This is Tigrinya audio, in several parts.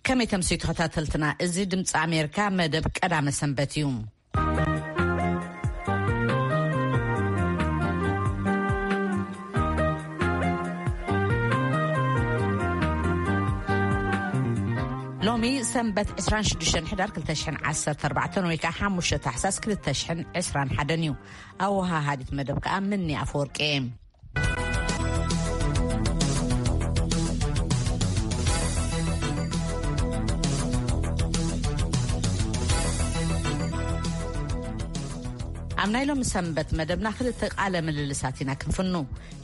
ከመይ ተምስዩ ተኸታተልትና? እዚ ድምፂ ኣሜሪካ መደብ ቀዳመ ሰንበት እዩ። ሎሚ ሰንበት ዕስራን ሽዱሽተን ሕዳር ክልተ ሽሕን ዓሰርተ ኣርባዕተን ወይ ከዓ ሓሙሽተ ታሕሳስ ክልተ ሽሕን ዕስራን ሓደን እዩ። ኣወሃሃዲት መደብ ከዓ ምኒ ኣፈወርቂ እየ። ኣብ ናይ ሎሚ ሰንበት መደብና ክልተ ቃለ ምልልሳት ኢና ክንፍኑ።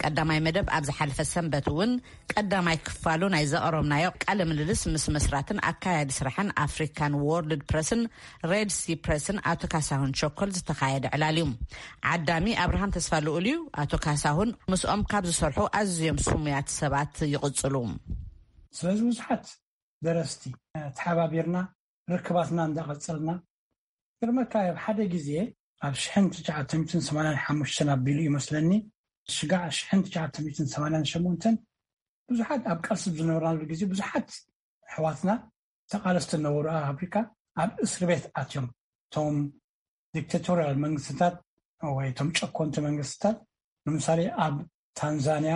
ቀዳማይ መደብ ኣብ ዝሓለፈ ሰንበት እውን ቀዳማይ ክፋሉ ናይ ዘቕረብናዮ ቃለ ምልልስ ምስ መስራትን ኣካያዲ ስራሕን ኣፍሪካን ወርልድ ፕረስን ሬድ ሲ ፕረስን ኣቶ ካሳሁን ቸኮል ዝተኻየደ ዕላል እዩ። ዓዳሚ ኣብርሃም ተስፋ ልኡል እዩ። ኣቶ ካሳሁን ምስኦም ካብ ዝሰርሑ ኣዝዮም ስሙያት ሰባት ይቕጽሉ። ስለዚ ብዙሓት ደረስቲ ተሓባቢርና ርክባትና እንዳቐጸልና፣ ግርመካ ኣብ ሓደ ግዜ ኣብ ሽሕን ትሽዓተ ሚእትን ሰማንያን ሓሙሽተን ኣቢሉ እዩ መስለኒ፣ ስጋዕ ሽሕን ትሽዓተ ሚእትን ሰማንያን ሸሞንተን ብዙሓት ኣብ ቃልሲ ዝነበርናሉ ግዜ ብዙሓት ኣሕዋትና ተቓለስቲ ነበሩ ኣብ ኣፍሪካ ኣብ እስር ቤት ኣትዮም። እቶም ዲክታቶርያል መንግስትታት ወይ እቶም ጨኮንቲ መንግስትታት ንምሳሌ ኣብ ታንዛንያ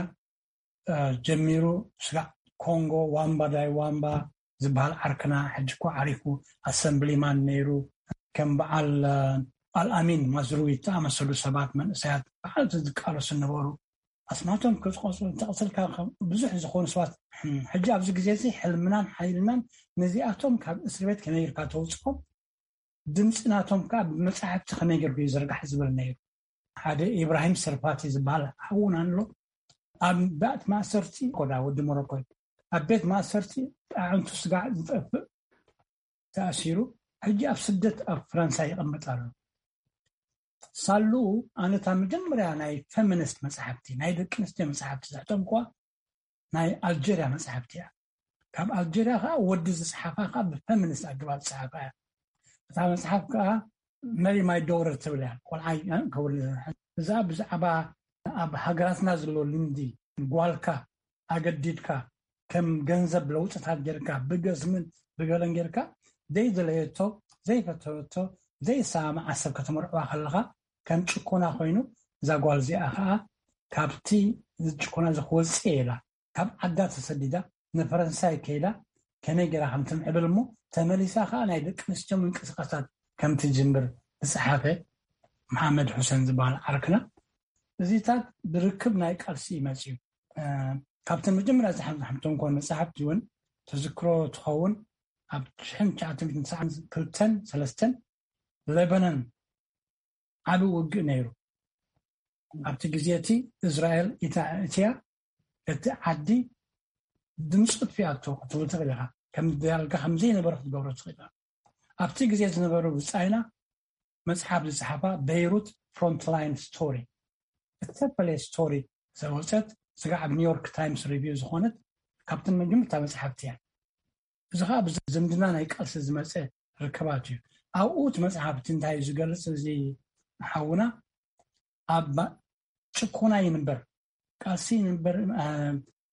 ጀሚሩ ስጋዕ ኮንጎ ዋምባ ዳይ ዋምባ ዝበሃል ዓርክና ሕጂ እኮ ዓሪፉ ኣሰምብሊማን ነይሩ። ከም በዓል ኣልኣሚን ማዝሩዊ ዝተኣመሰሉ ሰባት መንእሰያት በዓል ዝቃለሱ ነበሩ። ኣስማቶም ክፅቆፁ እንተቐሰልካ ብዙሕ ዝኾኑ ሰባት ሕጂ ኣብዚ ግዜ እዚ ሕልምናን ሓይልናን ነዚኣቶም ካብ እስር ቤት ከመይ ጌርካ ተውፅኦም ድምፂ ናቶም ከዓ ብመፃሕፍቲ ከመይ ጌርኩ ይዝርጋሕ ዝብል ነይሩ። ሓደ ኢብራሂም ሰርፋቲ ዝበሃል ሓውና ኣሎ። ኣብ ቤት ማእሰርቲ ኮዳ ወዲ ሞሮኮ ኣብ ቤት ማእሰርቲ ኣዕንቱ ስጋዕ ዝጠፍእ ተኣሲሩ ሕጂ ኣብ ስደት ኣብ ፈረንሳ ይቐመጥ ኣሎ። ሳሉ ኣነታ መጀመርያ ናይ ፌሚኒስት መፅሓፍቲ ናይ ደቂ ኣንስትዮ መፅሓፍቲ ዘሕተምኳ ናይ ኣልጀርያ መፅሓፍቲ እያ። ካብ ኣልጀርያ ከዓ ወዲ ዝፅሓፋ ከዓ ብፌሚኒስት ኣገባብ ዝፅሓፋ እያ። እታ መፅሓፍ ከዓ መሪ ማይ ዶተር ትብል እያ። ቆልዓይ ከውል እዛ ብዛዕባ ኣብ ሃገራትና ዘሎ ልምዲ ጓልካ ኣገዲድካ ከም ገንዘብ ለውጥታት ጌርካ ብገስምን ብገለን ጌርካ ዘይደለየቶ ዘይፈተወቶ ዘይሰማማዓ ሰብ ከተመርዕዋ ከለኻ ከም ጭኮና ኮይኑ እዛ ጓል እዚኣ ከዓ ካብቲ ዝጭኮና እዚ ክወፅእ ኢላ ካብ ዓዳ ተሰዲዳ ንፈረንሳይ ከይዳ ከመይ ገይራ ከም ትምዕብል እሞ ተመሊሳ ከዓ ናይ ደቂ ኣንስትዮ ምንቅስቃሳት ከም ትጅምር ዝፀሓፈ መሓመድ ሑሰን ዝበሃል ዓርክና እዚታት ብርክብ ናይ ቃልሲ እዩ መፅዩ። ካብተን መጀመርያ ዝሓምቶም ኮን መፅሓፍቲ እውን ተዝክሮ ትኸውን ኣብ ሽሕን ትሽዓተ ሚእትን ትስዓን ክልተን ሰለስተን ለበነን ዓቢ ውግእ ነይሩ። ኣብቲ ግዜ እቲ እስራኤል እትያ እቲ ዓዲ ድምፂ ጥፊኣቶ ክትብል ትኽእል ኢኻ። ከም ዳርጋ ከም ዘይነበረ ክትገብሮ ትኽእል ኢኻ። ኣብቲ ግዜ ዝነበሩ ብፃይና መፅሓፍ ዝፅሓፋ በይሩት ፍሮንትላይን ስቶሪ እተፈለየ ስቶሪ ዘወፀት ስጋዕ ኣብ ኒውዮርክ ታይምስ ሪቪው ዝኾነት ካብተን መጀመርታ መፅሓፍቲ እያ። እዚ ከዓ ብዝምድና ናይ ቃልሲ ዝመፀ ርክባት እዩ። ኣብኡ እቲ መፅሓፍቲ እንታይ እዩ ዝገልፅ እዚ ሓውና ኣብ ጭኮና ይንበር ቃልሲ ይንበር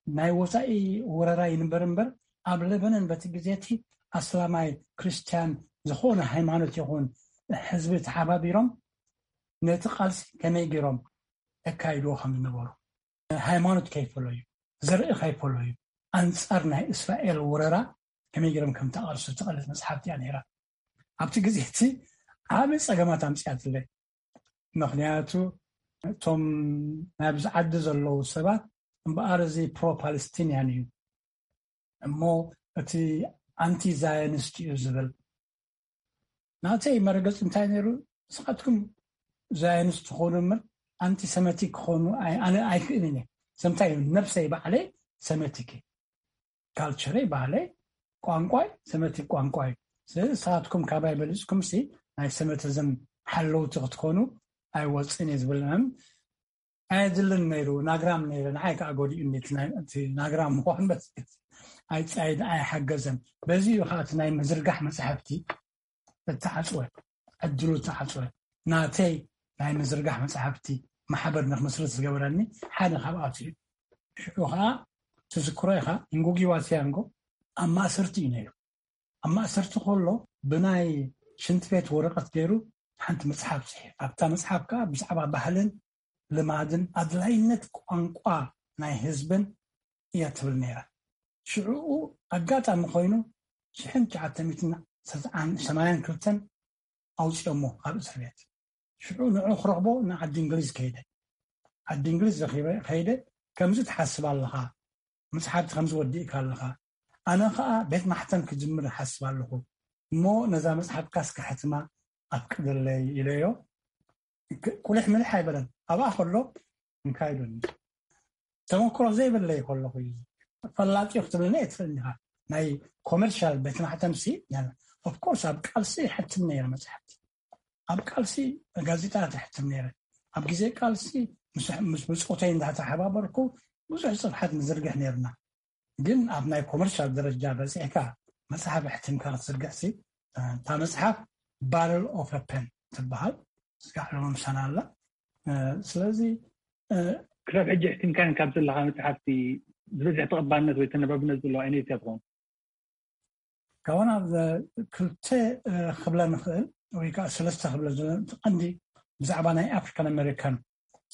ናይ ወፃኢ ወረራ ይንበር እምበር ኣብ ለበነን በቲ ግዜ እቲ ኣስላማይ ክርስትያን ዝኾነ ሃይማኖት ይኹን ህዝቢ ተሓባቢሮም ነቲ ቃልሲ ከመይ ገይሮም የካይድዎ ከም ዝነበሩ ሃይማኖት ከይፈለዩ ዘርኢ ከይፈለዩ ኣንፃር ናይ እስራኤል ወረራ ከመይ ገይሮም ከም ተቃልሱ ትቐልፅ መፅሓፍቲ እያ ነይራ። ኣብቲ ግዜ እቲ ዓብ ፀገማት ኣምፅኣትለይ። ምክንያቱ እቶም ናብዚ ዓዲ ዘለዉ ሰባት እምበኣር እዚ ፕሮ ፓለስቲንያን እዩ እሞ እቲ ኣንቲ ዛዮኒስት እዩ ዝብል ናተይ መረገፂ እንታይ ነይሩ? ንስኻትኩም ዛዮኒስት ትኾኑ እምበር ኣንቲሰመቲክ ክኾኑ ኣነ ኣይክእልን እየ። ሰምታይ ነብሰይ ባዕለይ ሰመቲክ ካልቸረይ ባህለይ ቋንቋይ ሰመቲክ ቋንቋ እዩ። ስለዚ ንስኻትኩም ካባይ በሊፅኩም ሲ ናይ ሰመቲዝም ሓለውቲ ክትኮኑ ኣይወፅን እየ ዝብል ኣየድልን ነይሩ። ናግራም ነይረ ንዓይ ከዓ ጎዲኡ ናግራም ምኳን በ ኣይፃይድ ኣይሓገዘን። በዚ እዩ ከዓ እቲ ናይ ምዝርጋሕ መፅሓፍቲ እተዓፅወ ዕድሉ እተዓፅወ ናተይ ናይ ምዝርጋሕ መፅሓፍቲ ማሕበር ንክምስርት ዝገበረኒ ሓደ ካብኣቱ እዩ። ሽዑ ከዓ ትዝክሮ ኢኻ እንጉጊዋ ቲያንጎ ኣብ ማእሰርቲ እዩ ነይሩ። ኣብ ማእሰርቲ ከሎ ብናይ ሽንቲ ቤት ወረቐት ገይሩ ሓንቲ መጽሓፍ ጽሒፍ። ኣብታ መጽሓፍ ከዓ ብዛዕባ ባህልን ልማድን ኣድላይነት ቋንቋ ናይ ህዝብን እያ ትብል ነይራ። ሽዕኡ ኣጋጣሚ ኮይኑ ሽሕን ትሽዓተ ሚእትን ሰማንያን ክልተን ኣውፅኦሞ ካብ እስር ቤት። ሽዑ ንዑ ክረኽቦ ንዓዲ እንግሊዝ ከይደ። ዓዲ እንግሊዝ ረኺበ ከይደ፣ ከምዚ ትሓስብ ኣለኻ፣ መፅሓፍቲ ከምዚ ወዲእካ ኣለኻ፣ ኣነ ከዓ ቤት ማሕተም ክጅምር እሓስብ ኣለኹ፣ እሞ ነዛ መፅሓፍካ እስከ ሕትማ ኣፍቅደለይ ኢለዮ። ቁልሕ ምልሕ ኣይበለን። ኣብኣ ከሎ እንታይ ኢሉኒ፣ ተመክሮ ዘይብለይ ከለኹ እዩ። ፈላጢ ክትብለኒ ኣይትኽእልን ኢኻ። ናይ ኮመርሻል ቤት ማሕተምሲ ኦፍኮርስ ኣብ ቃልሲ ይሕትም ነይረ መፅሓፍቲ፣ ኣብ ቃልሲ ጋዜጣ ትሕትም ነይረ። ኣብ ግዜ ቃልሲ ምስ ብፆተይ እንዳተሓባበርኩ ብዙሕ ፅፍሓት ንዝርግሕ ነይርና። ግን ኣብ ናይ ኮመርሻል ደረጃ በፂሕካ መፅሓፍ ኣሕቲምካ ክትዝርግሕሲ፣ እታ መፅሓፍ ባረል ኦፍ ፐን ትበሃል። ስጋዕ ሎምሳና ኣላ። ስለዚ ክሳብ ሕጂ ኣሕቲምካን ካብ ዘለካ መፅሓፍቲ ዝበዝሕ ተቐባልነት ወይ ተነባብነት ዘለዎ ዓይነት እያ ትኸውን? ካብና ክልተ ክብለ ንኽእል ወይ ከዓ ሰለስተ ክብለ ቀንዲ ብዛዕባ ናይ ኣፍሪካን ኣሜሪካን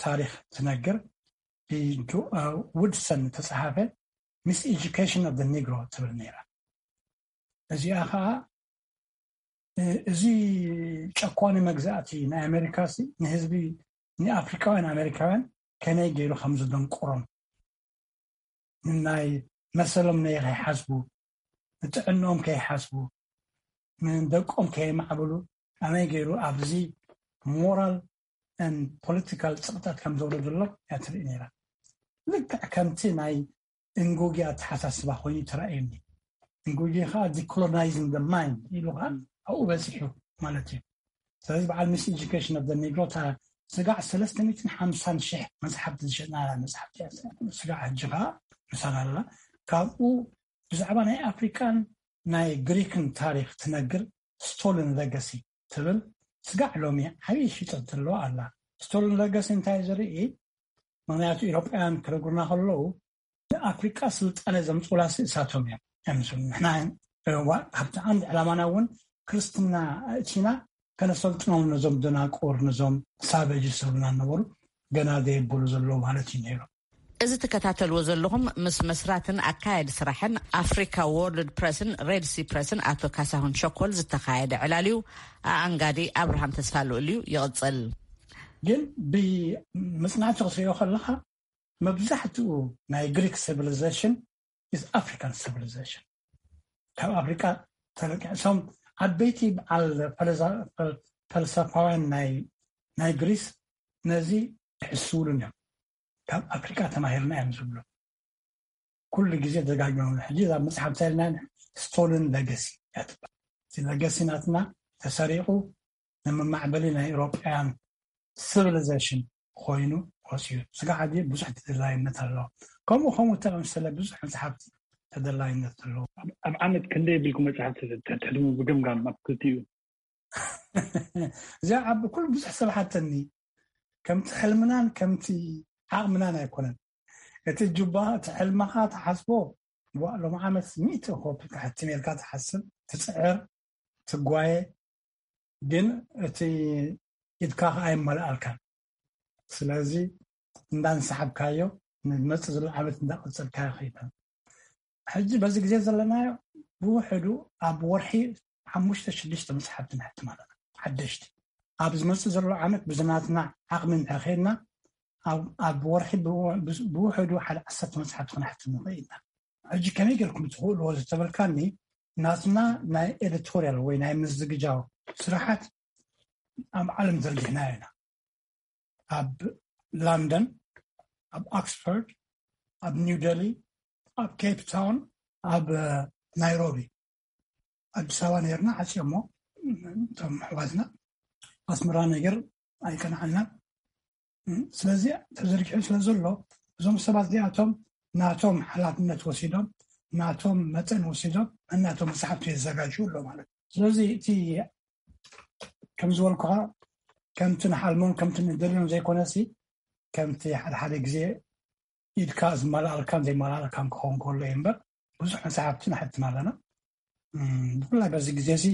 ታሪክ ትነግር ውድሰን ተፅሓፈ ሚስ ኤጁኬሽን ኦፍ ኒግሮ ትብል ነይራ። እዚኣ ከዓ እዚ ጨኳኒ መግዛእቲ ናይ ኣሜሪካ ንህዝቢ ንኣፍሪካውያን ኣሜሪካውያን ከመይ ገይሩ ከም ዝደንቁሮም ንናይ መሰሎም ነይ ከይሓስቡ ንጥዕንኦም ከይሓስቡ ንደቆም ከየማዕብሉ ኣመይ ገይሩ ኣብዚ ሞራል ን ፖለቲካል ፅቕጠት ከም ዘውረደሎም እያ ትርኢ ነይራ። ልክዕ ከምቲ ናይ እንጉጊ ኣተሓሳስባ ኮይኑ ተራእየኒ። እንጉጊ ከዓ ዲኮሎናይዝን ደ ማይንድ ኢሉ ከዓ ኣብኡ በፂሑ ማለት እዩ። ስለዚ በዓል ሚስ ኤጁኬሽን ኦፍ ኒግሮ ስጋዕ ሰለስተ ሚእትን ሓምሳን ሽሕ መፅሓፍቲ ዝሸጥና መፅሓፍቲ ስጋዕ ሕጂ ከዓ ምሳና ኣለና። ካብኡ ብዛዕባ ናይ ኣፍሪካን ናይ ግሪክን ታሪክ ትነግር ስቶልን ለገሲ ትብል ስጋዕ ሎሚ ዓብዪ ሽጠት ዘለዋ ኣላ። ስቶልን ለገሲ እንታይ ዝርኢ? ምክንያቱ ኢሮጳውያን ክነግሩና ከለዉ ንኣፍሪቃ ስልጣነ ዘምፅኡላ እሳቶም እዮም። ንሕና ኣብቲ ዓንዲ ዕላማና እውን ክርስትና እቲና ከነሰልጥኖም ነዞም ደናቁር ነዞም ሳበጅ ዝብሉና ነበሩ ገና ዘየበሉ ዘለዉ ማለት እዩ ነይሩ። እዚ ትከታተልዎ ዘለኹም ምስ መስራትን ኣካያዲ ስራሕን ኣፍሪካ ዎርልድ ፕረስን ሬድሲ ፕረስን ኣቶ ካሳሁን ሸኮል ዝተኻየደ ዕላል እዩ። ኣኣንጋዲ ኣብርሃም ተስፋ ልኡል እዩ። ይቕፅል። ግን ብመፅናዕቲ ክትሪኦ ከለካ መብዛሕትኡ ናይ ግሪክ ሲቪሊዜሽን ኢዝ ኣፍሪካን ሲቪሊዜሽን ካብ ኣፍሪካ ተለቂሶም ዓበይቲ በዓል ፈልሰፋውያን ናይ ግሪስ ነዚ ይሕስውሉን እዮም። ካብ ኣፍሪካ ተማሂርና እዮም ዝብሉ ኩሉ ግዜ ደጋግሞም። ሕጂ ኣብ መፅሓፍ ተልና ስቶልን ለገሲ እያ ትበሃል። እቲ ለገሲ ናትና ተሰሪቑ ንመማዕበሊ ናይ ኤውሮጳውያን ሲቪሊዜሽን ኮይኑ ወፅዩ። ስጋዕ ሕጂ ብዙሕ ተደላይነት ኣለዎ። ከምኡ ከምኡ ተመሰለ ብዙሕ መፅሓፍቲ ተደላይነት ኣለዎ። ኣብ ዓመት ክንደይ የብልኩም መፅሓፍቲ ተሕድሙ ብግምጋም ኣብ ክልቲኡ? እዚኣ ዓቢ ኩሉ ብዙሕ ሰብ ሓተኒ። ከምቲ ሕልምናን ከምቲ ዓቕምናን ኣይኮነን። እቲ ጁባ እቲ ሕልምኻ ትሓስቦ ሎም ዓመት ሚእቲ ኮፒ ክሕትም ኢልካ ትሓስብ ትፅዕር ትጓየ ግን እቲ ኢድካ ከዓ ኣይመልኣልካን። ስለዚ እንዳንሰሓብካዮ ንመፅእ ዘሎ ዓመት እንዳቐፀልካዮ ከይዳ ሕጂ በዚ ግዜ ዘለናዮ ብውሕዱ ኣብ ወርሒ ሓሙሽተ ሽዱሽተ መፅሓፍቲ ንሕትም ኣለና ሓደሽቲ። ኣብ ዝመፅእ ዘሎ ዓመት ብዝናትና ዓቕሚ እንድሕር ከይድና ኣብ ወርሒ ብውሕዱ ሓደ ዓሰርተ መፅሓፍቲ ክነሕትም ንኽእል ኢና። ሕጂ ከመይ ጌርኩም ትኽእልዎ ዝተበልካኒ ናትና ናይ ኤዲቶርያል ወይ ናይ ምዝግጃው ስራሓት ኣብ ዓለም ዘርጊሕናዮ ኢና። ኣብ ላንደን፣ ኣብ ኦክስፎርድ፣ ኣብ ኒው ደሊ፣ ኣብ ኬፕ ታውን፣ ኣብ ናይሮቢ፣ ኣዲስ ኣበባ ነርና ዓፅዮሞ እቶም ኣሕዋትና ኣስመራ ነገር ኣይቀንዓልናን። ስለዚ ተዘርጊሑ ስለ ዘሎ እዞም ሰባት እዚኣቶም ናቶም ሓላፍነት ወሲዶም ናቶም መጠን ወሲዶም እናቶም መፅሓፍቲ የዘጋጅ ኣሎ ማለት እዩ። ስለዚ እቲ ከም ዝበልኩኻ ከምቲ ንሓልሞን ከምቲ ንደልዮን ዘይኮነሲ ከምቲ ሓደ ሓደ ግዜ ኢድካ ዝመላኣልካን ዘይመላኣልካን ክኸውን ከሎ እዩ እምበር ብዙሕ መፅሓፍቲ ንሕትም ኣለና። ብፍላይ በዚ ግዜ እዚ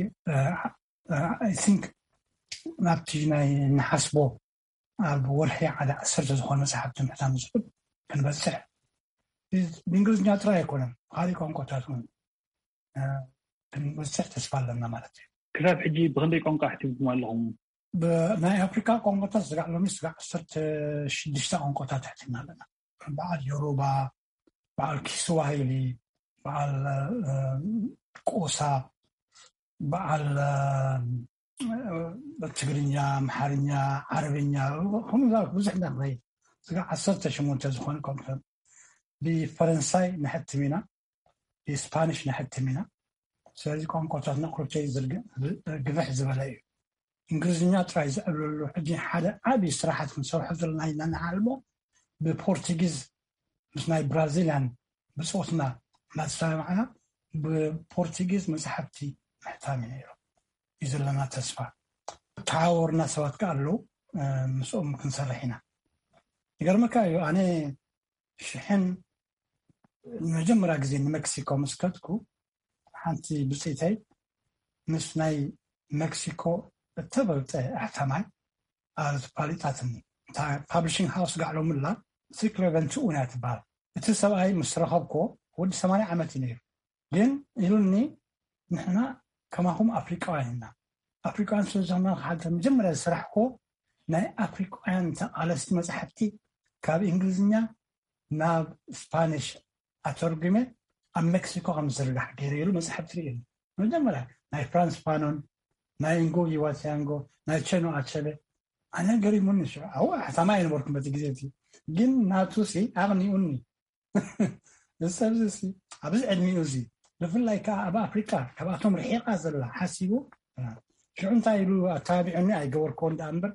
I think ናብቲ ናይ ንሓስቦ ኣብ ወርሒ ዓደ ዓሰርተ ዝኾነ መፅሓፍቲ ምሕታም ዝብል ክንበፅሕ ብእንግሊዝኛ ጥራይ ኣይኮነን፣ ብካሊእ ቋንቋታት እውን ክንበፅሕ ተስፋ ኣለና ማለት እዩ። ክሳብ ሕጂ ብክንደይ ቋንቋ ኣሕቲምኩም ኣለኹም? ብናይ ኣፍሪካ ቋንቋታት ስጋዕ ሎሚ ስጋዕ ዓሰርተ ሽዱሽተ ቋንቋታት ኣሕቲምና ኣለና። በዓል ዮሩባ፣ በዓል ኪስዋሂሊ፣ በዓል ቆሳ፣ በዓል ትግርኛ፣ ኣምሓርኛ፣ ዓረብኛ፣ ከምኡ ብዙሕ ኢና ንኸይድ። ስጋዕ ዓሰርተ ሸሞንተ ዝኾነ ኮንፈረንስ ብፈረንሳይ ንሕትም ኢና፣ ብስፓኒሽ ንሕትም ኢና። ስለዚ ቋንቋታትና ኩርተይ ግፍሕ ዝበለ እዩ። እንግሊዝኛ ጥራይ ዝዕብለሉ ሕጂ ሓደ ዓብዪ ስራሓት ክንሰርሖ ዘለና ኢና ንዓልሞ ብፖርቱጊዝ ምስ ናይ ብራዚልያን ብፆትና እናተሰማማዕና ብፖርቱጊዝ መፅሓፍቲ ምሕታም እዩ ነይሩ እዩ ዘለና ተስፋ። ተሓዋወርና ሰባት ከ ኣለዉ፣ ምስኦም ክንሰርሕ ኢና። ይገርመካ እዩ ኣነ ሽሕን ንመጀመርያ ግዜ ንመክሲኮ ምስ ከድኩ ሓንቲ ብፅኢተይ ምስ ናይ መክሲኮ እተበልፀ ኣሕታማይ ኣፋሊጣትኒ። እታ ፓብሊሽንግ ሃውስ ጋዕሎምላ ሲክሎ ቨንትኡን እያ ትበሃል። እቲ ሰብኣይ ምስ ረኸብኮ ወዲ ሰማንያ ዓመት እዩ ነይሩ። ግን ኢሉኒ ንሕና ከማኹም ኣፍሪቃውያን ኢና። ኣፍሪቃውያን ስለዝኾና ሓደ መጀመርያ ዝሰራሕኮ ናይ ኣፍሪቃውያን ተቓለስቲ መፅሓፍቲ ካብ እንግሊዝኛ ናብ ስፓኒሽ ኣተርጉመ ኣብ ሜክሲኮ ከም ዝርጋሕ ገይረ ኢሉ መፅሓፍቲ ርእዩ። መጀመርያ ናይ ፍራንስ ፋኖን ናይ እንጎጊ ዋሲያንጎ ናይ ቸኖ ኣቸበ ኣነ ገሪሙኒ። ሽዑ ኣው ኣሕታማ ኣይነበርኩም በቲ ግዜ እቲ ግን ናቱ ሲ ኣቕኒኡኒ። እዚ ሰብዚ ሲ ኣብዚ ዕድሚኡ እዚ ብፍላይ ከዓ ኣብ ኣፍሪቃ ካብኣቶም ርሒቓ ዘላ ሓሲቡ ሽዑ እንታይ ኢሉ ኣተባቢዑኒ ኣይገበርክዎ እንዳ እምበር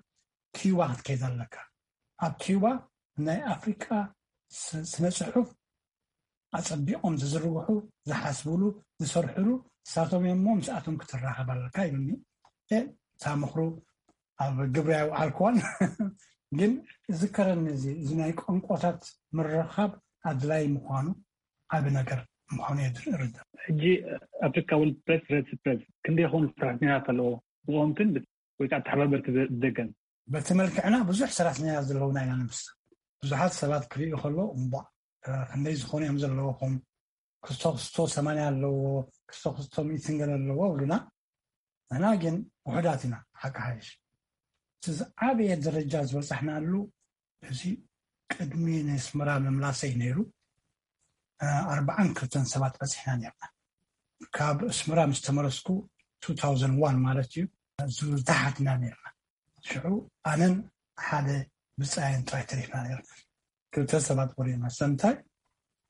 ኪዩባ ክትከይድ ኣለካ። ኣብ ኪዩባ ናይ ኣፍሪቃ ስነ ፅሑፍ ኣፀቢቖም ዝዝርግሑ ዝሓስብሉ ዝሰርሕሉ ንሳቶም እዮም እሞ ምስኣቶም ክትራኸብ ኣለካ ኢሉኒ። እታ ምኽሩ ኣብ ግብሪ ኣይውዓልክዋን ግን ዝከረኒ እዚ እዚ ናይ ቋንቋታት ምርኻብ ኣድላይ ምዃኑ ዓቢ ነገር ምዃኑ እየ ርዳእ። ሕጂ ኣፍሪካ ወርልድ ፕሬስ ሬድ ስፕሬስ ክንደይ ይኸውን ሰራሕተኛታት ኣለዎ ብቀወምትን ወይ ከዓ ተሓባበርቲ ብደገን? በቲ መልክዕና ብዙሕ ሰራሕተኛታት ዘለውና ኢና ንምስል። ብዙሓት ሰባት ክርእዩ ከለዉ እምቧእ ክንደይ ዝኾኑ እዮም ዘለውኹም፣ ክስቶ ክስቶ ሰማንያ ኣለዎ፣ ክስቶ ክስቶ ሚእትን ገለ ኣለዎ ይብሉና። ንሕና ግን ውሑዳት ኢና ሓቂ ሓይሽ። እቲ ዝዓበየ ደረጃ ዝበፃሕናሉ እዚ ቅድሚ ንስመራ ምምላሰይ ነይሩ ኣርባዓን ክልተን ሰባት በፂሕና ነርና። ካብ ኣስመራ ምስ ተመለስኩ two thousand one ማለት እዩ ዝታሓትና ነርና። ሽዑ ኣነን ሓደ ብፃየን ጥራይ ተሪፍና ነርና። ክልተ ሰባት ቆሪና ሰምታይ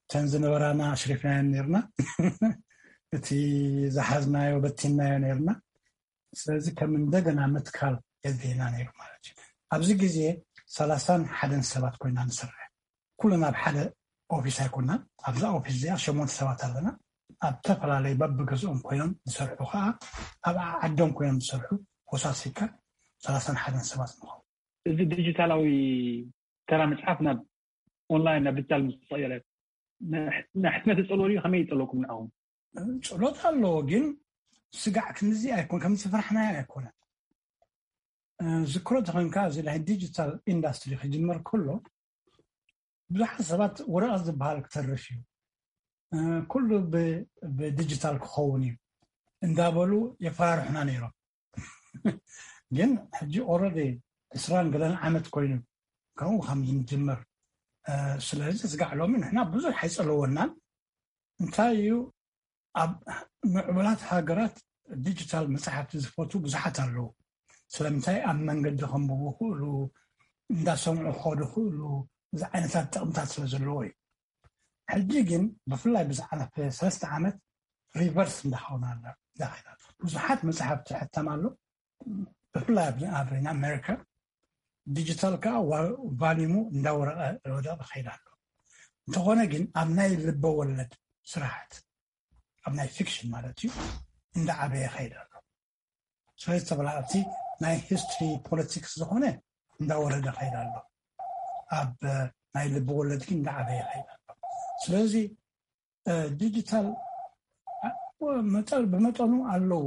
እተን ዝነበራና ኣሽሪፍናየን ነርና። እቲ ዝሓዝናዮ በቲንናዮ ነርና። ስለዚ ከም እንደገና ምትካል የድልየና ነይሩ ማለት እዩ። ኣብዚ ግዜ ሰላሳን ሓደን ሰባት ኮይና ንሰርሕ። ኩልና ኣብ ሓደ ኦፊስ ኣይኮናን። ኣብዛ ኦፊስ እዚኣ ሸሞንተ ሰባት ኣለና። ኣብ ተፈላለዩ በብገዝኦም ኮይኖም ዝሰርሑ ከዓ ኣብ ዓዶም ኮይኖም ዝሰርሑ ኮሳሲካ ሰላሳን ሓደን ሰባት ንኸውን። እዚ ዲጂታላዊ ተራ መፅሓፍ ናብ ኦንላይን ናብ ዲጂታል ምስ ተቐየረ ናይ ሕትመት ይፀልዎ ድዩ? ከመይ ይፀልወኩም ንዓኹም? ፀሎት ኣለዎ ግን ስጋዕ ክንዚ ኣይኮን ከምዚ ፍራሕናዮ ኣይኮነን። ዝክሮ ተኮንካ እዚ ናይ ዲጂታል ኢንዳስትሪ ክጅመር ከሎ ብዙሓት ሰባት ወረቐት ዝበሃል ክተርፍ እዩ፣ ኩሉ ብዲጂታል ክኸውን እዩ እንዳበሉ የፈራርሑና ነይሮም። ግን ሕጂ ኦረዲ ዕስራን ገለን ዓመት ኮይኑ ከምኡ ከም ዝንጅምር ስለዚ ስጋዕ ሎሚ ንሕና ብዙሕ ኣይፀለወናን። እንታይ እዩ ኣብ ምዕቡላት ሃገራት ዲጂታል መፅሓፍቲ ዝፈቱ ብዙሓት ኣለዉ። ስለምንታይ ኣብ መንገዲ ከንብቡ ክእሉ እንዳሰምዑ ክኸዱ ክእሉ እዚ ዓይነታት ጥቕምታት ስለ ዘለዎ እዩ። ሕጂ ግን ብፍላይ ብዝሓለፈ ሰለስተ ዓመት ሪቨርስ እንዳኸውን ኣሎ። ብዙሓት መፅሓፍቲ ሕተም ኣሎ። ብፍላይ ኣብ ኣሜሪካ ዲጂታል ከዓ ቫሊሙ እንዳወረቀ ወደቀ ከይድ ኣሎ። እንተኾነ ግን ኣብ ናይ ልበ ወለድ ስራሕት ኣብ ናይ ፊክሽን ማለት እዩ እንዳዓበየ ከይድ ኣሎ። ስለዚ ተበላዕቲ ናይ ሂስትሪ ፖለቲክስ ዝኾነ እንዳወረደ ከይድ ኣሎ። ኣብ ናይ ልቢ ወለድ ግን እንዳዓበየ ከይድ ኣሎ። ስለዚ ዲጂታል መጠ-፣ ብመጠኑ ኣለዎ፣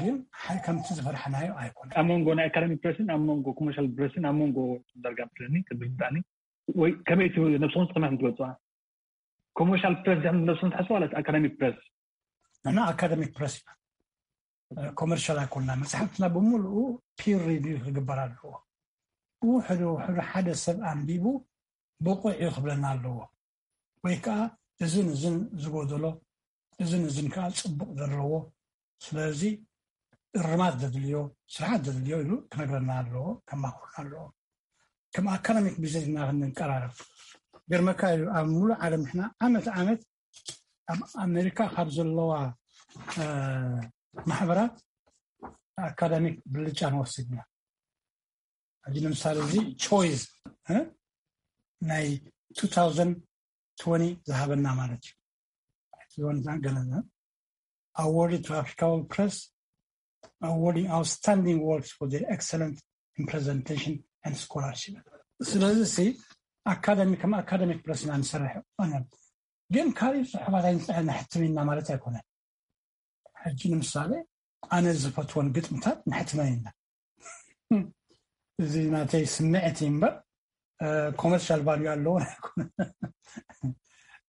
ግን ሓ-፣ ከምቲ ዝፈርሓናዮ ኣይኮነ። ኣብ መንጎ ናይ ኣካዳሚክ ፕረስን ኣብ መንጎ ኮመርሻል ፕረስን ኣብ መንጎ ዳርጋ መስለኒ ቅድም ምጣኒ ወይ ከመይ እቲ ነብስኹም ከመይ ትገልጽዋ? ኮመርሻል ፕረስ ዲኹም ነብስኹም ትሓስቡ ማለት ኣካዳሚክ ፕረስ? ንሕና ኣካዳሚክ ፕረስ ኢና። ኮመርሻል ኣይኮንና። መጽሓፍትና ብምሉኡ ፒር ሪቪው ክግበር ኣለዎ። ውሕዱ ውሕዱ ሓደ ሰብ ኣንቢቡ ብቑዕ እዩ ክብለና ኣለዎ። ወይ ከዓ እዝን እዝን ዝጎደሎ፣ እዝን እዝን ከዓ ጽቡቕ ዘለዎ፣ ስለዚ እርማት ዘድልዮ፣ ስርሓት ዘድልዮ ኢሉ ክነግረና ኣለዎ፣ ከማኽረና ኣለዎ። ከም ኣካዳሚክ ቢዝነስ ኢና ክንቀራረብ። ገርመካ እዩ፣ ኣብ ሙሉእ ዓለም ንሕና ዓመት ዓመት ኣብ ኣሜሪካ ካብ ዘለዋ፣ እ፣ ማሕበራት ኣካዳሚክ ብልጫ ንወስድ ኢና። ሕጂ ንምሳሌ እዚ ቾይዝ፣ እ፣ ናይ two thousand twenty ዝሃበና ማለት እዩ። If you want to ገለና awarded to Africa World Press, awarding outstanding works for their excellent in presentation and scholarship. ስለዚ ሲ ኣካዳሚ፣ ከም ኣካዳሚክ ፕረስ ኢና ንሰርሕ። ኣነ ግን ካልእ ጽሑፋት ኣይንጽሕን፣ ነሕትም ኢና ማለት ኣይኮነን። ሕጂ ንምሳሌ ኣነ ዝፈትወን ግጥምታት ነሕትመን ኢና። እዚ ናተይ ስምዕት እዩ እምበር፣ እ፣ ኮመርሻል ቫልዩ ኣለዎ ኣይኮነን።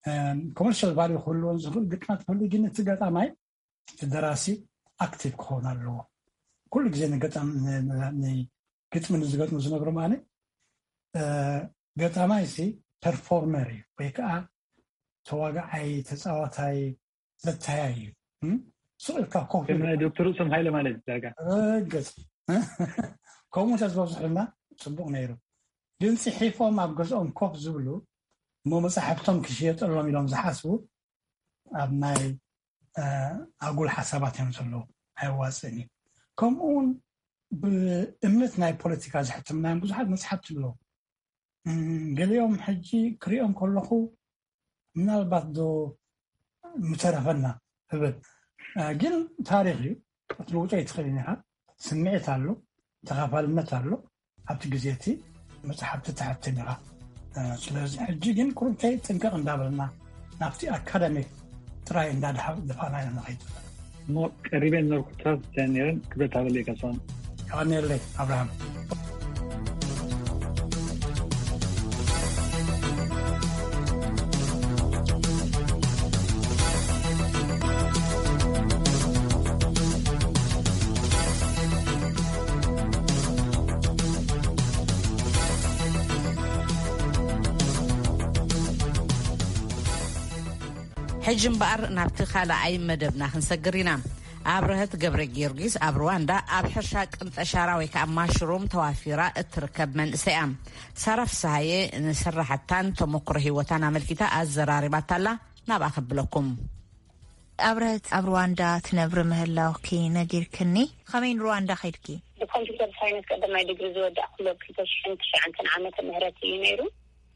እ፣ ኮመርሻል ቫልዩ ክህልዎን ዝኽእል ግጥማት ክህሉ፣ ግን እቲ ገጣማይ፣ እቲ ደራሲ ኣክቲቭ ክኸውን ኣለዎ። ኩሉ ግዜ ንገጣም-፣ ን-፣ ን-፣ ንግጥሚ ንዝገጥሙ ዝነግሮም ኣነ፣ እ፣ ገጣማይ ሲ ፐርፎርመር እዩ፣ ወይ ከዓ ተዋጋዓይ፣ ተጻዋታይ፣ ዘተያይ እዩ። እም? ስቕ ኢልካ ኮፍ ከም ኢልካ ዶክተር ርእሶም ሃይለ ማለት እዩ ዳርጋ። ርግጽ። ከምኡ እንተዝበዝሑልና ጽቡቕ ነይሩ። ግን ጽሒፎም ኣብ ገዝኦም ኮፍ ዝብሉ፣ እሞ መጻሕፍቶም ክሽየጠሎም ኢሎም ዝሓስቡ፣ ኣብ ናይ፣ እ፣ ኣጉል ሓሳባት እዮም ዘለዉ። ኣየዋጽእን እዩ። ከምኡ እውን ብእምነት ናይ ፖለቲካ ዘሕተምናዮም ብዙሓት መጽሓፍቲ ኣለዉ። እም፣ ገሊኦም ሕጂ ክሪኦም ከለኹ ምናልባት ዶ ምተረፈና እብል። እ፣ ግን ታሪኽ እዩ፣ ክትልውጦ ኣይትኽእልን ኢኻ። ስምዒት ኣሎ፣ ተኻፋልነት ኣሎ። ኣብቲ ግዜ እቲ መጽሓፍቲ ተሕትም ኢኻ። እ፣ ስለዚ ሕጂ ግን ቁሩብተይ ጥንቅቕ እንዳበልና ናብቲ ኣካዳሚክ ጥራይ እንዳድሓ-፣ ድፋና ኢና ንኸይድ። እሞ ቀሪበ ዝነበርኩ ትራስ እንታይ ነይረን ክብረት ሃበለይ ካሳሁን። የቐንየለይ ኣብርሃም። ሕጂ እምበኣር ናብቲ ካልኣይ መደብና ክንሰግር ኢና። ኣብርሀት ገብረ ጊዮርጊስ ኣብ ሩዋንዳ ኣብ ሕርሻ ቅንጠሻራ ወይ ከዓ ማሽሩም ተዋፊራ እትርከብ መንእሰይ እያ። ሳራ ፍስሃየ ንስራሕታን ተመክሮ ህይወታን ኣመልኪታ ኣዘራሪባታላ። ናብኣ ከብለኩም። ኣብርሀት ኣብ ሩዋንዳ ትነብሪ ምህላውኪ ነጊርክኒ። ከመይ ንሩዋንዳ ከይድኪ? ብኮምፒውተር ሳይንስ ቀዳማይ ዲግሪ ዝወዳእኩሉ ኣብ ክልተ ሽሕን ትሽዓተን ዓመተ ምህረት እዩ ነይሩ።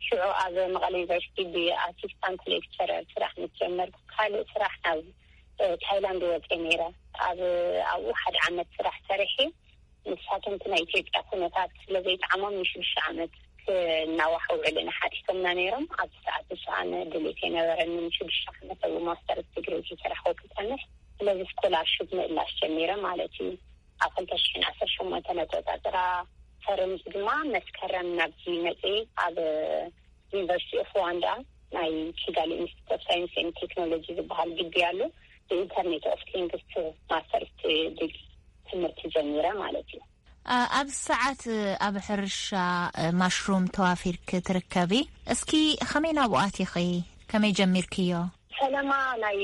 ሽዑ ኣብ መቐለ ዩኒቨርሲቲ ብኣሲስታንት ሌክቸረር ስራሕ ምስ ጀመርኩ፣ ካልእ ስራሕ ናብ፣ እ፣ ታይላንድ ወፅየ ነይረ። ኣብ፣ ኣብኡ ሓደ ዓመት ስራሕ ሰሪሐ። ንሳቶም እቲ ናይ ኢትዮጵያ ኩነታት ስለ ዘይጠዓሞም ንሽዱሽተ ዓመት ክናዋሕ ውዕል ሓቲቶምና ነይሮም። ኣብዚ ሰዓት ንሱ ኣነ ድሌት የነበረኒ ንሽዱሽተ ዓመት ኣብ ማስተርስ ዲግሪ ዝሰራሕኩ ክጸንሕ። ስለዚ ስኮላርሽፕ ምእላሽ ጀሚረ ማለት እዩ። ኣብ ክልተ ሽሕን ዓሰርተ ሸሞንተን ኣቆጻጽራ ፈረምዚ ድማ መስከረም ናብዚ መጽእ ኣብ ዩኒቨርሲቲ ኦፍ ሩዋንዳ ናይ ኪጋሊ ኢንስቲትዩት ኦፍ ሳይንስ ኤንድ ቴክኖሎጂ ዝበሃል ግቢ ኣሎ። ብኢንተርኔት ኦፍ ቲንግስ ማስተርስ ዲግሪ ትምህርቲ ጀሚረ ማለት እዩ። ኣ-፣ ኣብዚ ሰዓት ኣብ ሕርሻ ማሽሩም ተዋፊርክ ትርከቢ። እስኪ ከመይ ናብኡ ኣቲኺ? ከመይ ጀሚርክዮ? ፈለማ ናይ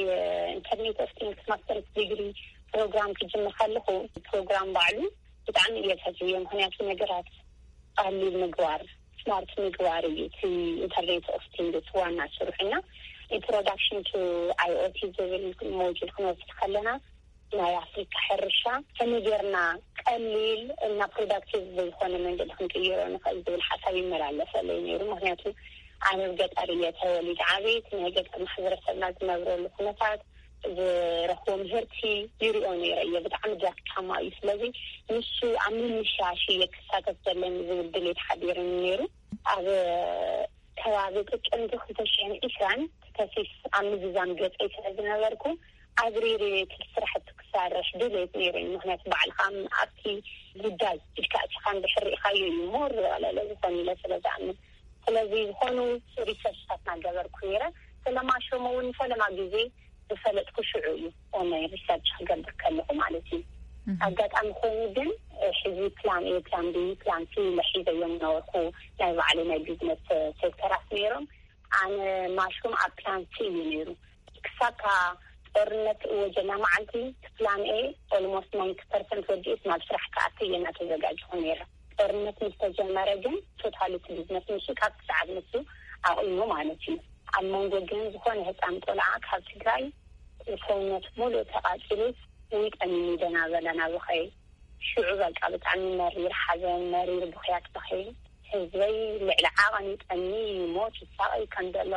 ኢንተርኔት ኦፍ ቲንግስ ማስተርስ ዲግሪ ፕሮግራም ክጅምር ከለኹ ፕሮግራም ባዕሉ ብጣዕሚ እየ ዝፈትዮ፣ ምኽንያቱ ነገራት ቀሊል ምግባር፣ ስማርት ምግባር እዩ እቲ ኢንተርኔት ኦፍ ቲንግስ ዋና ስርሑና። ኢንትሮዳክሽን ቱ ኣይኦቲ ዝብል ሞጁል ክንወስድ ከለና ናይ ኣፍሪካ ሕርሻ ከመይ ጌርና ቀሊል እና ፕሮዳክቲቭ ብዝኾነ መንገዲ ክንቅይሮ ንኽእል ዝብል ሓሳብ ይመላለሰለይ ነይሩ። ምኽንያቱ ኣነ ኣብ ገጠር እየ ተወሊደ ዓብየት። ናይ ገጠር ማሕበረሰብና ዝነብረሉ ኩነታት፣ ዝረኽቦ ምህርቲ ይሪኦ ነይረ እየ። ብጣዕሚ ደካማ እዩ። ስለዚ ንሱ ኣብ ምምሻሽ እየ ክሳተፍ ዘለኒ ዝብል ድሌት ሓዲርኒ ነይሩ። ኣብ ከባቢ ጥቅምቲ ክልተ ሽሕን ዕስራን ተሲስ ኣብ ምዝዛም ገፀይ ስለ ዝነበርኩ፣ ኣብሪሪ እቲ ስራሕቲ ክሰርሕ ድሌት ነይሩኒ። ምክንያቱ ባዕልካ ኣብቲ ጉዳይ ኢድካ እቲኻ እንድሕር ርኢኻዮ እዩ ሞር ዝቐለለ ዝኾን ኢለ ስለ ዝኣምን። ስለዚ ዝኾኑ ሪሰርችታት እናገበርኩ ነይረ። ስለ ማሽሩም እውን ፈለማ ግዜ ዝፈለጥኩ ሽዑ እዩ፣ ናይ ሪሰርች ክገብር ከለኹ ማለት እዩ። ኣጋጣሚ ኮይኑ ግን ሕዚ ፕላን ኤ፣ ፕላን ቢ፣ ፕላን ሲ ኢለ ሒዘዮም ነበርኩ። ናይ ባዕሉ ናይ ቢዝነስ ሴክተራት ነይሮም። ኣነ ማሽሩም ኣብ ፕላን ሲ እዩ ነይሩ። ክሳብ እታ ጦርነት እወጀላ መዓልቲ እቲ ፕላን ኤ ኦልሞስት ናይንቲ ፐርሰንት ወዲኡስ ናብ ስራሕ ክኣቲ እየ እናተዘጋጀኹ ነይረ። ጦርነት ምስ ተጀመረ ግን ቶታሊ እቲ ቢዝነስ ንሱ ካብ ክሳብ ንሱ ኣቑሙ ማለት እዩ። ኣብ መንጎ ግን ዝኾነ ህፃን ቆልዓ ካብ ትግራይ ሰውነት ሙሉእ ተቓፂሉ ውይ ጠሚኒ ደናበለ ናብኸይ ሽዑ በቃ ብጣዕሚ መሪር ሓዘን፣ መሪር ብኽያት በኸይ። ህዝበይ ልዕሊ ዓቐን ይጠሚ፣ ይሞት፣ ይሳቐይ ከም ዘሎ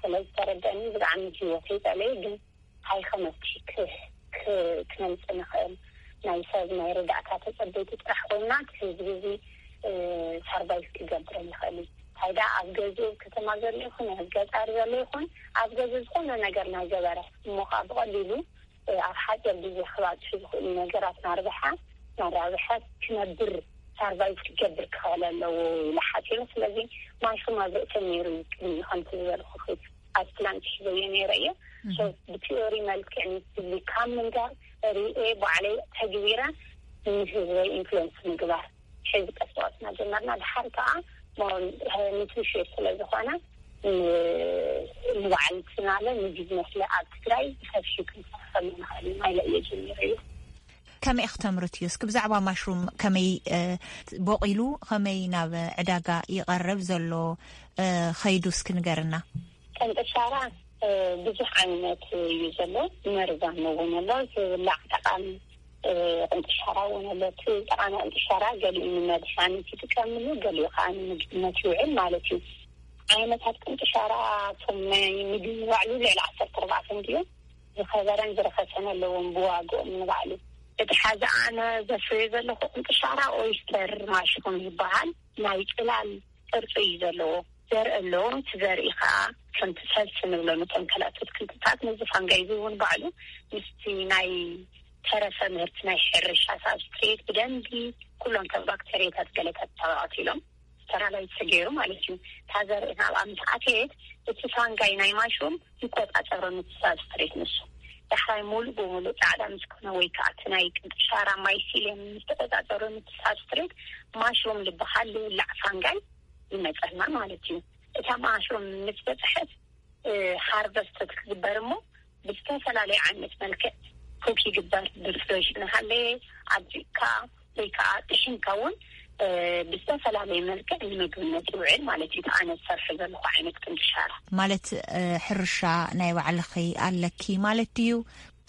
ስለ ዝተረደእኒ ብጣዕሚ ህይወተይ ጸለየ። ግን እንታይ ከመፍትሒ ክ-፣ ክ-፣ ክነምጽእ ንኽእል? ናይ ሰብ ናይ ረዳእታ ተጸበይቲ ጥራሕ ኮይና እቲ ህዝቢ እዚ፣ እ፣ ሰርቫይቭ ክገብር ይኽእል እዩ። እንታይ ደኣ ኣብ ገዝኡ ኣብ ከተማ ዘሎ ይኹን ኣብ ገጠር ዘሎ ይኹን ኣብ ገዝኡ ዝኾነ ነገር ናይ ገበረ እሞ ኸኣ ብቐሊሉ ኣብ ሓፂር ግዜ ክባፅሑ ዝኽእሉ ነገራት ናርብሓ ናራብሐ ክነብር ሰርቫይቭ ክገብር ክኽእል ኣለዎ ኢለ ሓፂሩ። ስለዚ ማሽሩም ኣብ ርእሰይ ነይሩ እዩ ቅድሚኡ ከምቲ ዝበልኩኺ ኣብ ፕላን ሒዘዮ ነይረ እየ። ሶ ብቲዮሪ መልክዕ ንህዝቢ ካብ ምንጋር ሪኤ ባዕለይ ተግቢረ ንህዝበይ ኢንፍሉንስ ምግባር ሕዚ ቀስ ብቐስ እናጀመርና ድሓር ከዓ ኒትሪሽን ስለ ዝኾነ ንባዕልትናለ ንቢዝነስለ ኣብ ትግራይ ብሰፊሑ ክንሰርሐሉ ንኽእል ኢና ኢለ እየ ጀሚረዮ። ከመይ እየ ክተምርት እዩ እስኪ ብዛዕባ ማሽሩም ከመይ እ፣ ቦቂሉ ከመይ ናብ ዕዳጋ ይቐርብ ዘሎ እ፣ ኸይዱ እስኪ ንገርና። ቀንጥሻራ እ፣ ብዙሕ ዓይነት እዩ ዘሎ። መርዛም እውን ኣሎ። ዝብላዕ ጠቃሚ እ፣ ቅንጥሻራ እውን ኣሎ። እቲ ጠቃሚ ቅንጥሻራ ገሊኡ ንመድሓኒት ይጥቀምሉ፣ ገሊኡ ከዓ ንምግብነት ይውዕል ማለት እዩ። ዓይነታት ቅንጥሻራ እቶም ናይ ምግቢ ባዕሉ ልዕሊ ዓሰርተ ኣርባዕተ እንድዮም። ዝኸበረን ዝረኸሰን ኣለዎም ብዋግኦም ንባዕሉ። እቲ ሓዚ ኣነ ዘፍርዮ ዘለኹ ቅንጥሻራ ኦይስተር ማሽሩም ይበሃል። ናይ ጽላል ቅርጺ እዩ ዘለዎ። ዘርኢ ኣለዎ። እቲ ዘርኢ ከዓ ከምቲ ሰልሲ ንብሎ ነቶም ከላቶት ክንትታት ነዚ ፋንጋይ እዚ እውን ባዕሉ ምስቲ ናይ ተረፈ ምህርቲ ናይ ሕርሻ ሳብስትሬት ብደንቢ ኩሎም ከም ባክተሪያታት ገለታት ተባዕት ኢሎም ስተራላይዝ ተገይሩ ማለት እዩ። እታ ዘርኢ ናብኣ ምስ ኣተየት እቲ ፋንጋይ ናይ ማሽሩም ይቆጻጸሮ ነቲ ሳብስትሬት ንሱ። ዳሕራይ ሙሉእ ብሙሉእ ጻዕዳ ምስ ኮነ ወይ ከዓ እቲ ናይ ቅንጥሻራ ማይሲልየም ምስ ተቆጻጸሮ ነቲ ሳብስትሬት ማሽሩም ዝበሃል ዝብላዕ ፋንጋይ ይመጸና ማለት እዩ። እታ ማሽሩም ምስ በጽሐት እ፣ ሃርቨስት ክትግበር እሞ ብዝተፈላለየ ዓይነት መልክዕ ኩክ ይግበር። ብፍሬሽ እናሃለየ ኣብዚእካ ወይ ከዓ ጥሒንካ እውን እ፣ ብዝተፈላለየ መልክዕ ንምግብነት ይውዕል ማለት እዩ። እቲ ኣነ ዝሰርሖ ዘለኹ ዓይነት ቅንጥሻራ። ማለት እ፣ ሕርሻ ናይ ባዕልኺ ኣለኪ ማለት ድዩ?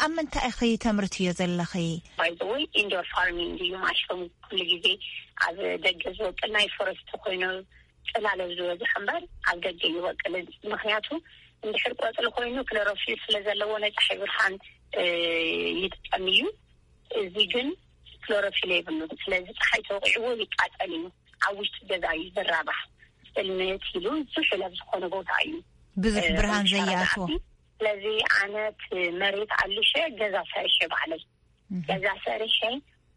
ኣብ ምንታይ ኢኺ ተምርትዮ ዘለኺ? ባይ ዘ ወይ ኢንዶር ፋርሚንግ እዩ ማሽሩም። ኩሉ ግዜ ኣብ ደገ ዝበቅል ናይ ፎረስት ኮይኑ ጽላለ ዝበዝሕ እምበር ኣብ ደገ ይበቅል። ምክንያቱ እንድሕር ቆጽሊ ኮይኑ ክሎሮፊል ስለ ዘለዎ ናይ ፀሓይ ብርሃን እ፣ ይጥቀም እዩ። እዚ ግን ክሎሮፊል የብሉን። ስለዚ ፀሓይ ተወቂዕዎ ይቃጸል እዩ። ኣብ ውሽጢ ገዛ እዩ ዝራባሕ። ጥልምት ኢሉ ዝሑል ኣብ ዝኾነ ቦታ እዩ ብዙሕ እ፣ ብርሃን ብሻራ ዘይኣትዎ። ዝኣቲ። ስለዚ ኣነ እቲ መሬት ኣልሸ ገዛ ሰሪሐ ባዕለይ። እህ። ገዛ ሰሪሐ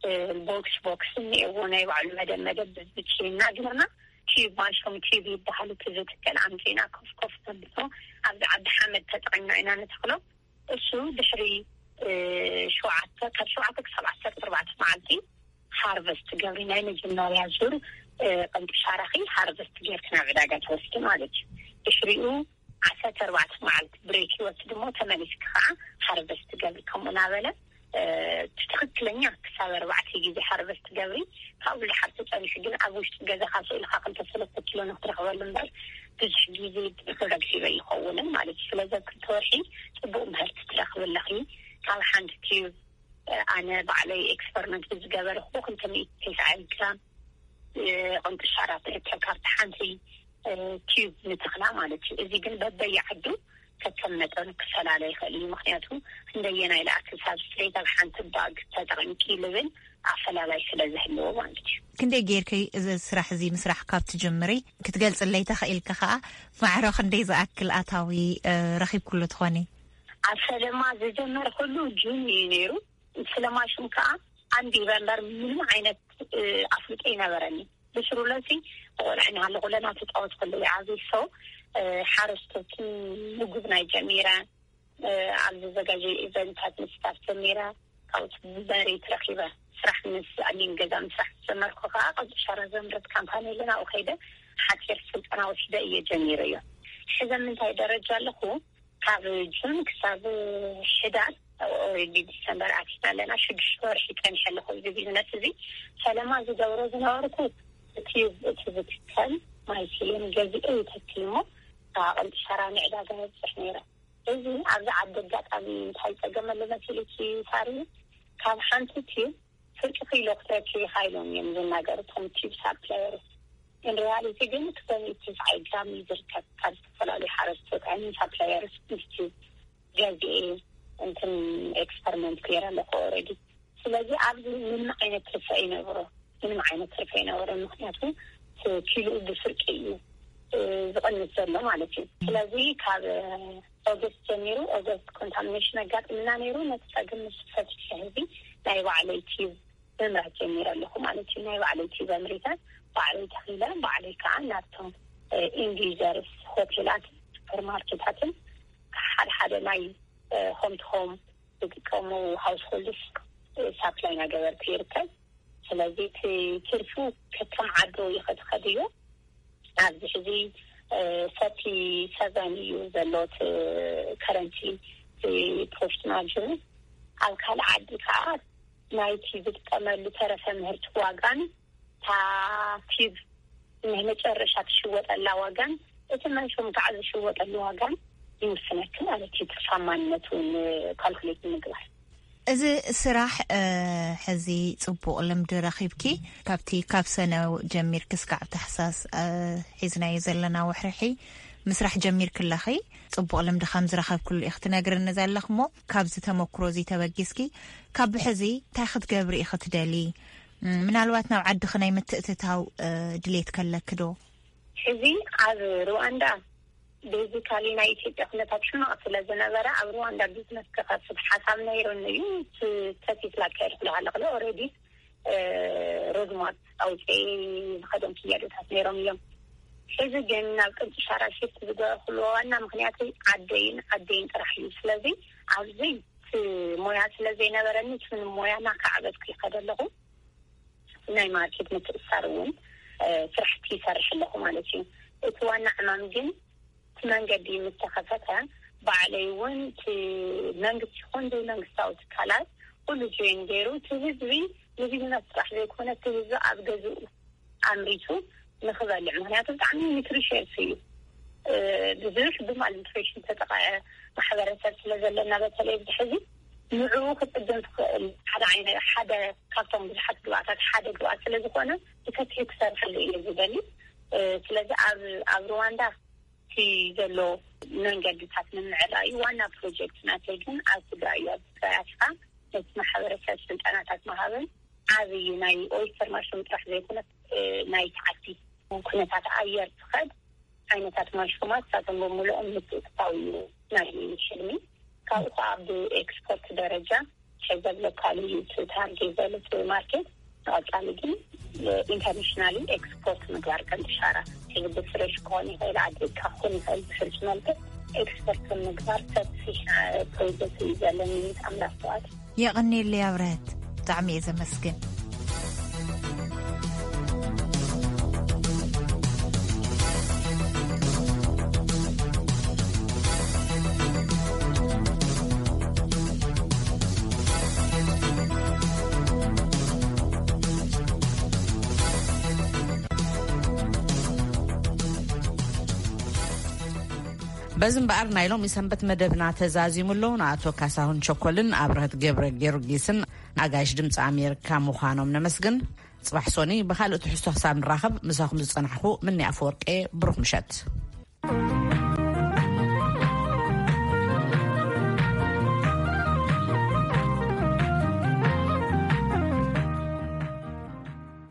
እ፣ ቦክስ ቦክስ እኒአዎ ናይ ባዕሉ መደብ መደብ ብዝብቼ እና ግርና ቲዩብ ማሽሩም ቲዩብ ይበሃል። እቲ ዝትከል ኣምፂና ኮፍ ኮፍ ተብሎ ኣብዚ ዓዲ ሓመድ ተጠቂምና ኢና ንተክሎ። እሱ ድሕሪ እ፣ ሸውዓተ ካብ ሸውዓተ ክሳብ ዓሰርተ ኣርባዕተ መዓልቲ ሃርቨስት ገብሪ ናይ መጀመርያ ዙር እ፣ ቅንጥሻራኺ ሃርቨስት ጌርክ ናብ ዕዳጋ ትወስዲ ማለት እዩ። ድሕሪኡ ዓሰርተ ኣርባዕተ መዓልቲ ብሬክ ይወስድ እሞ ተመሊስኪ ከዓ ሃርቨስት ገብሪ ከምኡ እናበለ እ፣ እቲ ትኽክለኛ ክሳብ ኣርባዕተ ግዜ ሃርቨስት ገብሪ። ካብኡ ዝሓር ተፀኒሑ ግን ኣብ ውሽጢ ገዛኻ ስእልኻ ክልተ ሰለስተ ኪሎ ንክትረኽበሉ እምበር ብዙሕ ግዜ ፕሮዳክቲቭ ኣይኸውንን ማለት እዩ። ስለዚ ኣብ ክልተ ወርሒ ፅቡቅ ምህርቲ ትረኽቢ ኣለኺ። ካብ ሓንቲ ቲዩብ ኣነ ባዕለይ ኤክስፐሪመንት ብዝገበርኩ ክልተ ሚእቲ ተስዓይ ግራም እ፣ ቅንጥሻራ ትርከብ ካብቲ ሓንቲ እ፣ ቲዩብ ንተኽላ ማለት እዩ። እዚ ግን በበየዓዱ ከከም መጠኑ ክፈላለ ይኽእል እዩ። ምክንያቱ ክንደየናይ ለኣክል ሳብስትሬት ኣብ ሓንቲ ባግ ተጠቂምኪ ልብል ኣፈላላይ ስለ ዝህልዎ ማለት እዩ። ክንደይ ጌርኪ እዚ ስራሕ እዚ ምስራሕ ካብ ትጅምሪ ክትገልፅለይ ተኽኢልኪ ከዓ ማዕረ ክንደይ ዝኣክል ኣታዊ እ፣ ረኺብኩሉ ትኾኒ? ኣብ ፈለማ ዝጀመርኩሉ ጁን እዩ ነይሩ። ስለ ማሽን ከዓ ኣንቢበ እምበር ምንም ዓይነት፣ እ፣ ኣፍልጦ ኣይነበረኒ። ብስሩለሲ ቆልዓ ኢና ኩለና ትፃወት ከለዉ ይዓብዩ። ሶ፣ እ፣ ሓረስቶትን ምግብ ናይ ጀሚረ፣ እ፣ ኣብ ዝዘጋጀዩ ኢቨንታት ምስታፍ ጀሚረ። ካብኡ መሬት ረኺበ ስራሕ ምስ ኣሚን ገዛ ምስራሕ ዝጀመርኩ ከዓ ቀብጢ ሻራ ዘምረት ካምፓኒ ኣለና። ኣብኡ ከይደ ሓፂር ስልጠና ወሲደ እየ ጀሚረዮ። ሕዚ ኣብ ምንታይ ደረጃ ኣለኹ? ካብ ጁን ክሳብ ሕዳር፣ ኦሬዲ ዲሰምበር ኣቲና ኣለና። ሽዱሽተ ወርሒ ጸኒሐ ኣለኹ እዚ ቢዝነስ እዚ። ፈለማ ዝገብሮ ዝነበርኩ እቲ፣ እቲ ዝትከል ማይሲሊን ገዚኤ ይተክል እሞ፣ ኣቐልጢ ሸራ ንዕዳጋ የብፅሕ ነይረ። እዚ ኣብዚ ዓዲ ኣጋጣሚ እንታይ ጸገም ኣሎ መሲልኪ ሳሪ? ካብ ሓንቲ ቲዩብ ፍርቂ ኪሎ ክትረክብ ኢኻ ኢሎም እዮም ዝናገሩ እቶም ቲዩብ ሳፕላየርስ። ኢን ሪያሊቲ ግን ትወንቲ ፋይቭ ግራም እዩ ዝርከብ ካብ ዝተፈላለዩ ሓረስቶት፣ ኣይ ሚን ሳፕላየርስ ምስ ቲዩብ ገዚኤ እንትን ኤክስፐሪመንት ገይረ ኣለኹ ኦልሬዲ። ስለዚ ኣብዚ ምንም ዓይነት ትርፊ ኣይነበሮ፣ ምንም ዓይነት ትርፊ ኣይነበሮ፣ ምክንያቱ እቲ ኪሎኡ ብፍርቂ እዩ፣ እ፣ ዝቕንስ ዘሎ ማለት እዩ። ስለዚ ካብ ኦገስት ጀሚሩ፣ ኦገስት ኮንታሚኔሽን ኣጋጥምና ነይሩ። ነቲ ጸገም ምስ ፈትሐ ህዝቢ ናይ ባዕለይ ቲዩብ ምምራት ጀሚረ ኣለኹ ማለት እዩ። ናይ ባዕለይ ቲዩብ ኣምሪተ፣ ባዕለይ ተኺለ፣ ባዕለይ ከዓ ናብቶም፣ እ፣ ኢንድ ዩዘርስ፣ ሆቴላት፣ ሱፐርማርኬታትን ሓደ ሓደ ናይ፣ እ፣ ሆም ቱ ሆም ዝጥቀሙ ሃውስሆልድስ፣ እ፣ ሳፕላይ እናገበርኩ ይርከብ። ስለዚ እቲ ትርፉ ከከም ዓዱ እዩ ከትኸድዮ። ኣብዚ ሕዚ፣ እ፣ ሰርቲ ሰቨን እዩ ዘሎ እቲ ከረንሲ፣ እቲ ፕሮፊት ማርጅኑ። ኣብ ካልእ ዓዲ ከዓ ናይቲ ዝጥቀመሉ ተረፈ ምህርቲ ዋጋን እታ ቲብ ናይ መጨረሻ ትሽወጠላ ዋጋን እቲ መንሹም ከዓ ዝሽወጠሉ ዋጋን ይውስነኪ ማለት እዩ፣ ትርፋማነቱ ካልኩሌት ንምግባር። እዚ ስራሕ፣ እ፣ ሕዚ ጽቡቕ ልምዲ ረኺብኪ፣ ካብቲ ካብ ሰነ ጀሚርኪ እስካዕ ታሕሳስ፣ እ፣ ሒዝናዮ ዘለና ወርሒ ምስራሕ ጀሚርኪ ኣለኺ። ጽቡቕ ልምዲ ከም ዝረኸብክሉ ኢኺ ትነግርኒ ዘለኺ እሞ፣ ካብዚ ተመክሮ እዚ ተበጊስኪ ካብ ብሕዚ እንታይ ክትገብሪ ኢኺ ትደሊ? ም፣ ምናልባት ናብ ዓድኺ ናይ ምትእትታው፣ እ፣ ድሌት ከለኪ ዶ? ሕዚ ኣብ ሩዋንዳ ቤዚካሊ ናይ ኢትዮጵያ ኩነታት ሕማቕ ስለ ዝነበረ፣ ኣብ ሩዋንዳ ቢዝነስ ክኸፍት ሓሳብ ነይሩኒ እዩ። ስ-፣ ተሲስ ላካየድኩ ኣለኹ። ኦልሬዲ፣ እ፣ ሮድማፕ ኣውፅኤ ዝኸዶም ክያዶታት ነይሮም እዮም። ሕዚ ግን ናብ ቅንጥሻራ ሽፍት ዝገበርኩሉ ዋና ምክንያት ዓደይን ዓደይን ጥራሕ እዩ። ስለዚ ኣብዚ እቲ ሞያ ስለ ዘይነበረኒ፣ እቲ ሞያ እናካዕበትኩ ይኸደ ኣለኹ። ናይ ማርኬት ምትእሳር እውን፣ እ፣ ስራሕቲ ይሰርሕ ኣለኹ ማለት እዩ። እቲ ዋና ዕማም ግን እቲ መንገዲ ምስ ተኸፈተ፣ ባዕለይ እውን እቲ መንግስቲ ይኹን ዘይመንግስታዊ ትካላት ኩሉ ጆይን ገይሩ፣ እቲ ህዝቢ ንቢዝነስ ጥራሕ ዘይኮነ፣ እቲ ህዝቢ ኣብ ገዝኡ ኣምሪቱ ንኽበልዕ፣ ምክንያቱ ብጣዕሚ ኒትሪሽንስ እዩ። እ፣ ብዙሕ ብማልኒትሪሽን ተጠቃዐ ማሕበረሰብ ስለ ዘለና፣ በተለይ ኣብዚ ሕዚ ንዕኡ ክፅገን ትኽእል ሓደ ዓይነ-፣ ሓደ ካብቶም ብዙሓት ግብኣታት ሓደ ግብኣት ስለ ዝኾነ፣ ብሰፊሑ ክሰርሐሉ እየ ዝደሊ። እ፣ ስለዚ ኣብ፣ ኣብ ሩዋንዳ እቲ ዘሎ መንገድታት ንምዕራይ ዋና ፕሮጀክት ናተይ ግን ኣብ ትግራይ እዩ። ኣብ ትግራይ ኣቲኻ ነቲ ማሕበረሰብ ስልጠናታት ምሃብን ዓብዪ ናይ ኦይስተር ማሽሩም ጥራሕ ዘይኮነ፣ እ፣ ናይ ተዓዲ ኩነታት ኣየር ትኸድ ዓይነታት ማሽሩማት ሳቶም ብምልኦም ምትእትታው እዩ ናይ ሕልሚ። ካብኡ ከዓ ብኤክስፖርት ደረጃ ሕዘብ ሎካል እዩ እቲ ታርጌት ዘሎ እቲ ማርኬት። ንቐፃሊ ግን ኢንተርናሽናሊ ኤክስፖርት ምግባር ከም ኢሻራ ሕዚ ብፍሬሽ ክኾን ይኽእል፣ ኣድሪካ ክኾን ይኽእል፣ ብፍርጅ መልክዕ ኤክስፖርት ምግባር ሰፊሕ ፕሮጀክት እዩ ዘለኒ። ኣምላኽ ተዋት። የቐኔለይ ኣብረህት፣ ብጣዕሚ እየ ዘመስግን። በዚ እምበኣር ናይ ሎሚ ሰንበት መደብና ተዛዚሙ ኣሎ። ንኣቶ ካሳሁን ቸኮልን ኣብረህት ገብረ ጊዮርጊስን ኣጋይሽ ድምፂ ኣሜሪካ ምዃኖም ነመስግን። ጽባሕ ሶኒ ብኻልእ ትሕዝቶ ክሳብ ንራኸብ፣ ምሳኹም ዝጸናሕኩ ምኒ ኣፈወርቄ፣ ብሩኽ ምሸት።